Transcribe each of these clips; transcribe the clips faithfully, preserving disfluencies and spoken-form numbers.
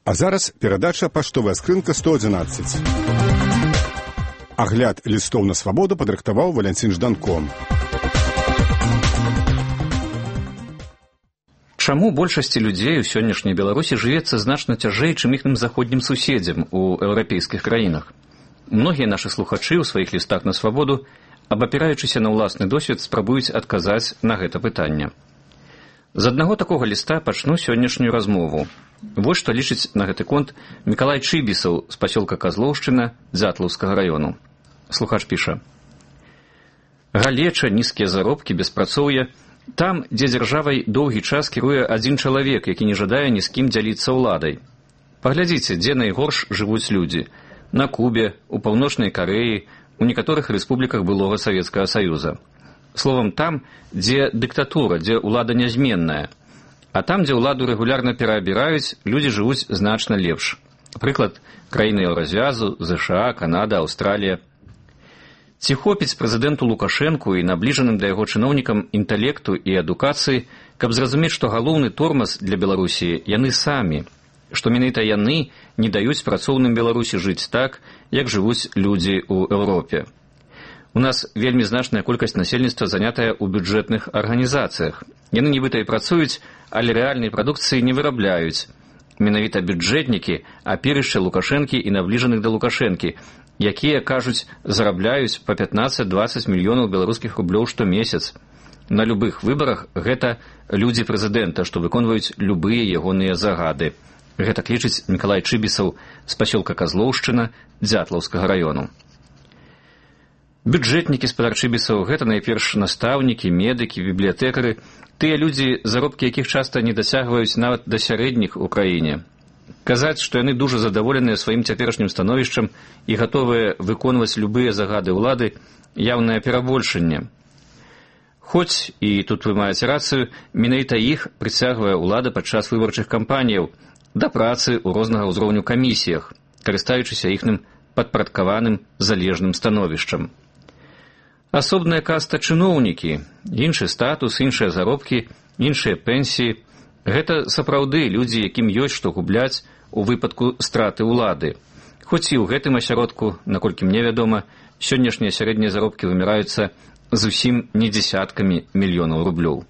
А зараз перадача «Паштовая скрынка сто одиннадцать». Агляд лістоў на свабоду падрыхтаваў Валянцін Жданко. Чаму большасці людзей у сённяшняй Беларусі жывецца значна цяжэй, чым іхным заходнім суседзям у еўрапейскіх краінах? Многія нашы слухачы ў сваіх лістах на свабоду, абапіраючыся на ўласны досвед, спрабуюць адказаць на гэта пытанне. З аднаго такога ліста пачну сённяшнюю размову. Вось што лічыць на гэты конт Мікалай Чыбісаў з пасёлка Казлоўшчына Дзятлаўскага раёну. Слухач піша: «Галеча, нізкія заробкі, беспрацоўе. Там, дзе дзяржавай доўгі час кіруе адзін чалавек, які не жадае ні з кім дзяліцца ўладай. Паглядзіце, дзе найгорш жывуць людзі. На Кубе, у Паўночнай Карэі, у некаторых рэспубліках былога Савецкага Саюза. Словам, там, дзе дыктатура, дзе ўлада нязменная. А там, дзе ўладу рэгулярна пераабіраюць, людзі жывуць значна лепш. Прыклад, краіны Еўразвязу, ЗША, Канада, Аўстралія. Ці хопіць прэзідэнту Лукашэнку і набліжаным да яго чыноўнікам інтэлекту і адукацыі, каб зразумець, што галоўны тормаз для Беларусі яны самі, што менавіта яны не даюць працоўным Беларусі жыць так, як жывуць людзі ў Еўропе. У нас вельмі значная колькасць насельніцтва занятая ў бюджэтных арганізацыях. Яны нібыта і працуюць, але рэальнай прадукцыі не вырабляюць. Менавіта бюджэтнікі, аперышча Лукашэнкі і набліжаных да Лукашэнкі, якія, кажуць, зарабляюць па пятнаццаць-дваццаць мільёнаў беларускіх рублёў штомесяц. На любых выбарах гэта людзі прэзідэнта, што выконваюць любыя ягоныя загады. Гэтак лічыць Мікалай Чыбісаў з пасёлка Казлоўшчына Дзятлаўскага раёну. Бюджэтнікі, спадар Чыбісаў, гэта найперш настаўнікі, медыкі, бібліятэкары, тыя людзі, заробкі якіх часта не дасягваюць нават да сярэдніх у краіне. Казаць, што яны дужа задаволеныя сваім цяперашнім становішчам і гатовыя выконваць любыя загады ўлады, яўнае перабольшанне. Хоць, і тут вы маеце рацыю, менавіта іх прыцягвае ўлада падчас выбарчых кампаніяў да працы ў рознага ўзроўню камісіях, карыстаючыся іхным падпарадкаваным залежным становішчам. Асобная каста чыноўнікі, іншы статус, іншыя заробкі, іншыя пенсіі – гэта сапраўды людзі, якім ёсць што губляць у выпадку страты ўлады. Хоць і ў гэтым асяродку, наколькі мне вядома, сённяшнія сярэднія заробкі выміраюцца зусім не дзесяткамі мільёнаў рублёў.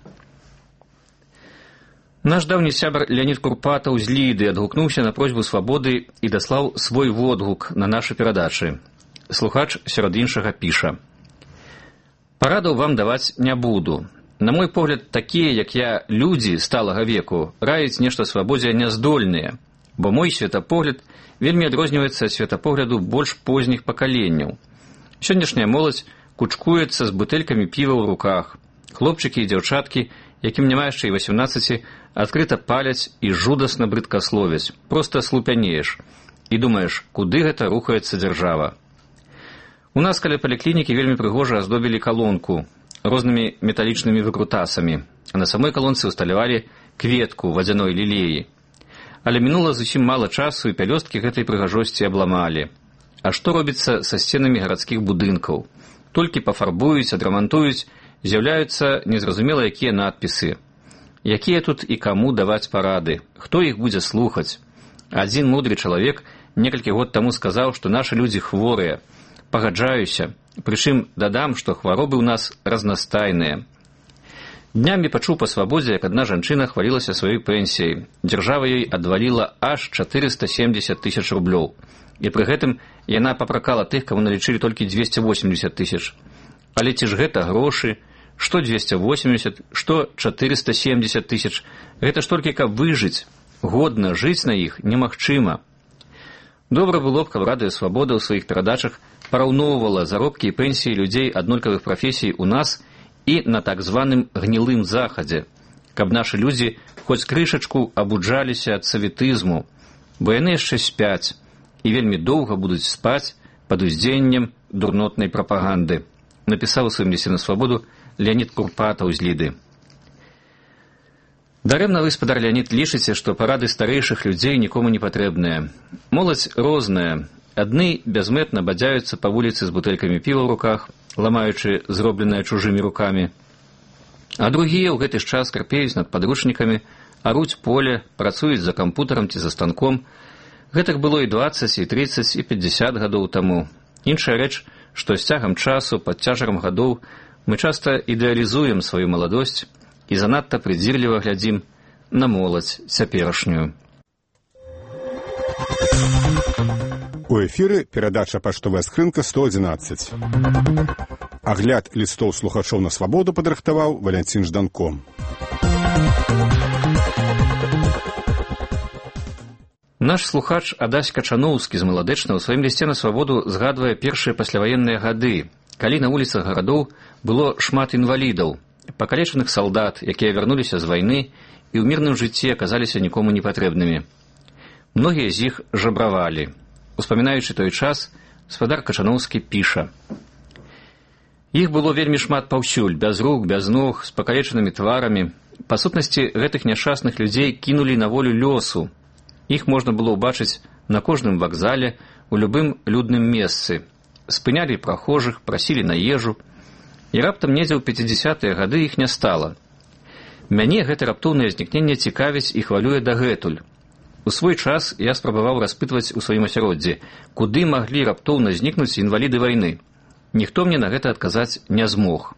Наш даўні сябар Леонід Курпатаў з Ліды адгукнуўся на просьбу свабоды і даслаў свой водгук на нашы перадачы. Слухач сярод іншага піша: «Парадаў вам даваць не буду. На мой погляд, такія, як я, людзі сталага веку, раіць нешта свабодзе няздольныя, бо мой светапогляд вельмі адрозніваецца ад светапогляду больш позніх пакаленняў. Сённяшняя моладзь кучкуецца з бутэлькамі піва ў руках. Хлопчыкі і дзяўчаткі, якім няма яшчэ і васямнаццаці, адкрыта паляць і жудасна брыдкасловяць. Проста слупянееш і думаеш, куды гэта рухаецца дзяржава. У нас каля паліклінікі вельмі прыгожа аздобілі калонку рознымі металічнымі выкрутасамі, а на самой калонцы ўсталявалі кветку вадзяной лілеі. Але мінула зусім мала часу, і пялёсткі гэтай прыгажосці абламалі. А што робіцца са сценамі гарадскіх будынкаў? Толькі пафарбуюць, адрамантуюць, з'яўляюцца незразумела якія надпісы. Якія тут і каму даваць парады? Хто іх будзе слухаць? Адзін мудры чалавек некалькі год таму сказаў, што нашы людзі хворыя. Пагаджаюся, прычым дадам, што хваробы ў нас разнастайныя. Днямі пачуў па свабодзе, як адна жанчына хвалілася сваёй пенсіяй. Дзяржава ёй адваліла аж чатырыста семдзесят тысяч рублёў. І пры гэтым яна папракала тых, каму налічылі толькі дзвесце восемдзесят тысяч. Але ці ж гэта грошы? Што дзвесце восемдзесят, што чатырыста семдзесят тысяч? Гэта ж толькі каб выжыць. Годна жыць на іх немагчыма. Добра было б, каб радыё «Свабода» ў сваіх перадачах параўноўвала заробкі і пенсіі людзей аднолькавых прафесій у нас і на так званым гнілым захадзе, каб нашы людзі хоць крышачку абуджаліся ад саветызму, бо яны яшчэ спяць і вельмі доўга будуць спаць пад уздзеяннем дурнотнай прапаганды, напісаў у сваім лісце на «Свабоду» Леонід Курпатаў з Ліды. Дарэмна вы, спадар Леонід, лічыце, што парады старэйшых людзей нікому не патрэбныя. Моладзь розная. Адны бязмэтна бадзяюцца па вуліцы з бутэлькамі піва ў руках, ламаючы зробленае чужымі рукамі. А другія ў гэты ж час карпеюць над падручнікамі, аруць поле, працуюць за кампутарам ці за станком. Гэтак было і дваццаць, і трыццаць, і пятьдзясят гадоў таму. Іншая рэч, што з цягам часу, пад цяжарам гадоў, мы часта ідэалізуем сваю маладосць і занадта прыдзірліва глядзім на моладзь цяперашнюю. У эфіры перадача «Паштовая скрынка» сто адзінаццаць. Агляд лістоў слухачоў на свабоду падрыхтаваў Валянцін Жданко. Наш слухач Адась Качаноўскі з Маладэчна ў сваім лісце на свабоду згадвае першыя пасляваенныя гады, калі на вуліцах гарадоў было шмат інвалідаў, пакалечаных салдат, якія вярнуліся з вайны і ў мірным жыцці аказаліся нікому непатрэбнымі. Многія з іх жабравалі. Успамінаючы той час, спадар Качаноўскі піша: «Іх было вельмі шмат паўсюль, без рук, без ног, з пакалечанымі тварамі. Па сутнасці, гэтых няшчасных людзей кінулі на волю лёсу. Іх можна было ўбачыць на кожным вакзале, у любым людным месцы. Спынялі прахожых, прасілі на ежу. І раптам недзе ў пяцідзясятыя гады іх не стала. Мяне гэта раптоўнае знікненне цікавіць і хвалюе дагэтуль. У свой час я спрабаваў распытваць у сваім асяроддзі, куды маглі раптоўна знікнуць інваліды вайны. Ніхто мне на гэта адказаць не змог.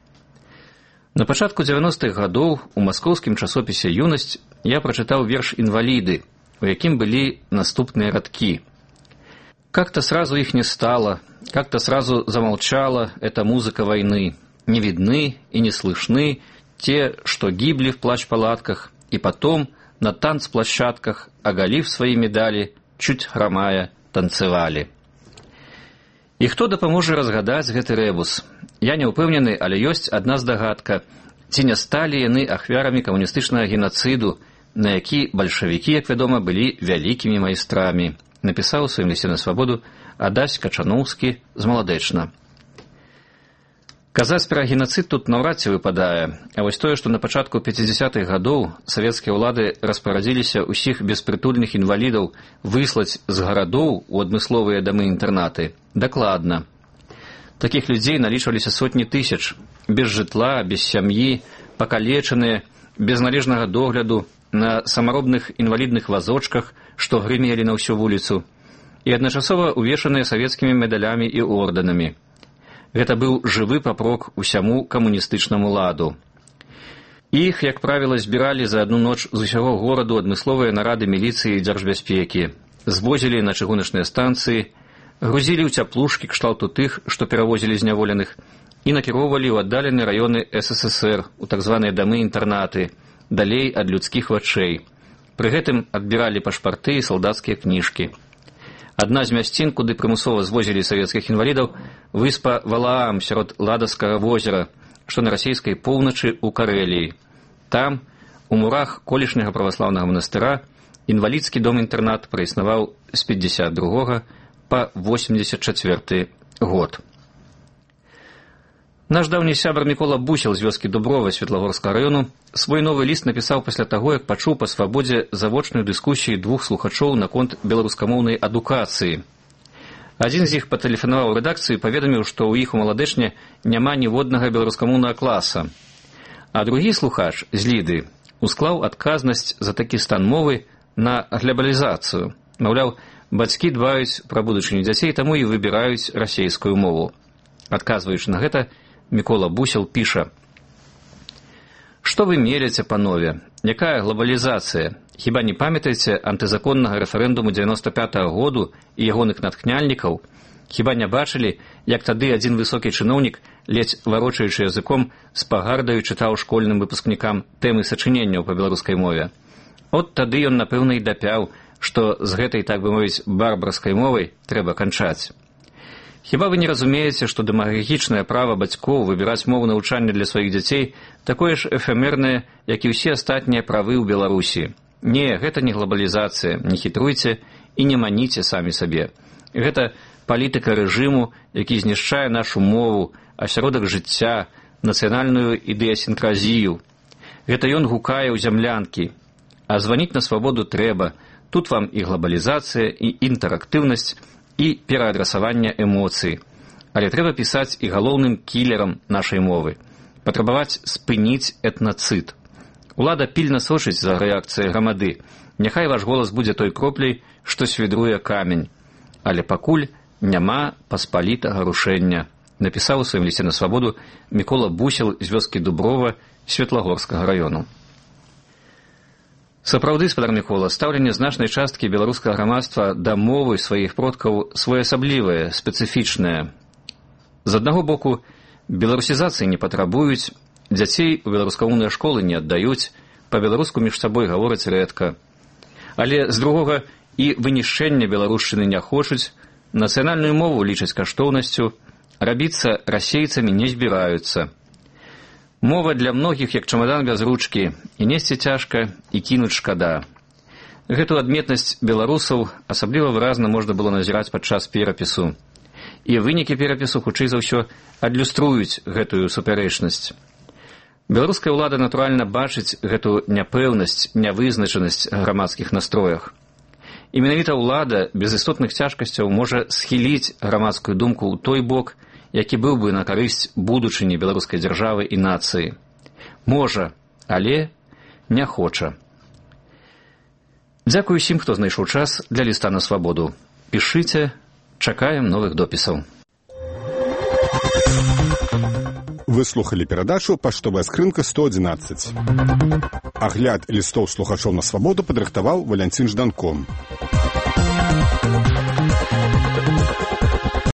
На пачатку дзевяностых гадоў у маскоўскім часопісе «Юнасць» я прачытаў верш «Інваліды», у якім былі наступныя радкі. «Как-то сразу их не стало, как-то сразу замолчала эта музыка войны. Не видны и не слышны те, что гибли в плащ-палатках, и потом на танцплощадках, оголив свои медали, чуть хромая, танцевали». І хто дапаможа разгадаць гэты рэбус? Я не ўпэўнены, але ёсць адна здагадка. Ці не сталі яны ахвярамі камуністычнага генацыду, на які бальшавікі, як вядома, былі вялікімі майстрамі, напісаў у сваім лісце на свабоду Адась Качаноўскі з Маладэчна. Казаць пра генацыд тут наўрад ці выпадае, а вось тое, што на пачатку пяцідзясятых гадоў савецкія ўлады распарадзіліся ўсіх беспрытульных інвалідаў выслаць з гарадоў у адмысловыя дамы-інтэрнаты, дакладна. Такіх людзей налічваліся сотні тысяч, без жытла, без сям'і, пакалечаныя, без належнага догляду, на самаробных інвалідных вазочках, што грымелі на ўсю вуліцу, і адначасова увешаныя савецкімі медалямі і ордэнамі. Гэта быў жывы папрок усяму камуністычнаму ладу. Іх, як правіла, збіралі за адну ноч з усяго гораду адмысловыя нарады міліцыі і дзяржбяспекі, звозілі на чыгуначныя станцыі, грузілі ў цяплушкі кшталту тых, што перавозілі зняволеных, і накіроўвалі ў аддаленыя раёны эс эс эс эр, у так званыя дамы-інтэрнаты, далей ад людскіх вачэй. Пры гэтым адбіралі пашпарты і салдацкія кніжкі. Адна з мясцін, куды прымусова звозілі савецкіх інвалідаў, выспа Валаам сярод Ладаскага возера, што на расійскай поўначы ў Карэліі. Там, у мурах колішняга праваслаўнага манастыра, інвалідскі дом-інтэрнат праіснаваў з пятьдесят другога па восемьдесят четвёрты год. Наш даўні сябар Мікола Бусел з вёскі Дуброва Светлагорскага раёну свой новы ліст напісаў пасля таго, як пачуў па свабодзе завочную дыскусію двух слухачоў наконт беларускамоўнай адукацыі. Адзін з іх патэлефанаваў у рэдакцыю і паведаміў, што ў іх у Маладэчне няма ніводнага беларускамоўнага класа. А другі слухач з Ліды усклаў адказнасць за такі стан мовы на глябалізацыю. Маўляў, бацькі дбаюць пра будучыню дзяцей, таму і выбіраюць расейскую мову. Адказваючы на гэта, Мікола Бусел піша: «Што вы меліце, панове? Якая глобалізацыя? Хіба не памятаеце антызаконнага рэферэндуму дзевяноста пятага году і ягоных натхняльнікаў? Хіба не бачылі, як тады адзін высокі чыноўнік, ледзь варочаючы языком, з пагардаю чытаў школьным выпускнікам тэмы сачыненняў па беларускай мове? От тады ён, напэўна, і дапяў, што з гэтай, так бы мовіць, барбарскай мовай трэба канчаць. Хіба вы не разумееце, што дэмагагічнае права бацькоў выбіраць мову навучання для сваіх дзяцей такое ж эфемернае, як і ўсе астатнія правы ў Беларусі? Не, гэта не глобалізацыя, не хітруйце і не маніце самі сабе. Гэта палітыка рэжыму, які знішчае нашу мову, асяродак жыцця, нацыянальную ідэасінкразію. Гэта ён гукае ў зямлянкі. А званіць на свабоду трэба. Тут вам і глобалізацыя, і інтэрактыўнасць, і пераадрасаванне эмоцый. Але трэба пісаць і галоўным кілерам нашай мовы. Патрабаваць спыніць этнацыд. Улада пільна сочыць за рэакцыяй грамады. Няхай ваш голас будзе той кропляй, што свідруе камень. Але пакуль няма паспалітага рушэння, напісаў у сваім лісце на свабоду Мікола Бусел з вёскі Дуброва Светлагорскага раёну. Сапраўды, спадар Мікола, стаўленне значнай часткі беларускага грамадства да мовы сваіх продкаў своеасаблівае, спецыфічнае. З аднаго боку, беларусізацыі не патрабуюць, дзяцей у беларускамоўныя школы не аддаюць, па-беларуску між сабой гавораць рэдка. Але, з другога, і вынішчэння беларушчыны не хочуць, нацыянальную мову лічаць каштоўнасцю, рабіцца расейцамі не збіраюцца. Мова для многіх як чамадан без ручкі, і несці цяжка, і кінуць шкада. Гэту адметнасць беларусаў асабліва выразна можна было назіраць падчас перапісу. І вынікі перапісу, хутчэй за ўсё, адлюструюць гэтую супярэчнасць. Беларуская ўлада, натуральна, бачыць гэту няпэўнасць, нявызначанасць грамадскіх настроях. І менавіта ўлада без істотных цяжкасцяў можа схіліць грамадскую думку ў той бок, які быў бы на карысць будучыні беларускай дзяржавы і нацыі. Можа, але не хоча. Дзякуй усім, хто знайшоў час для ліста на свабоду. Пішыце, чакаем новых допісаў. Вы слухали перадачу «Паштовая скрынка сто адзінаццаць». Агляд лістоў слухачоў на свабоду падрыхтаваў Валянцін Жданко.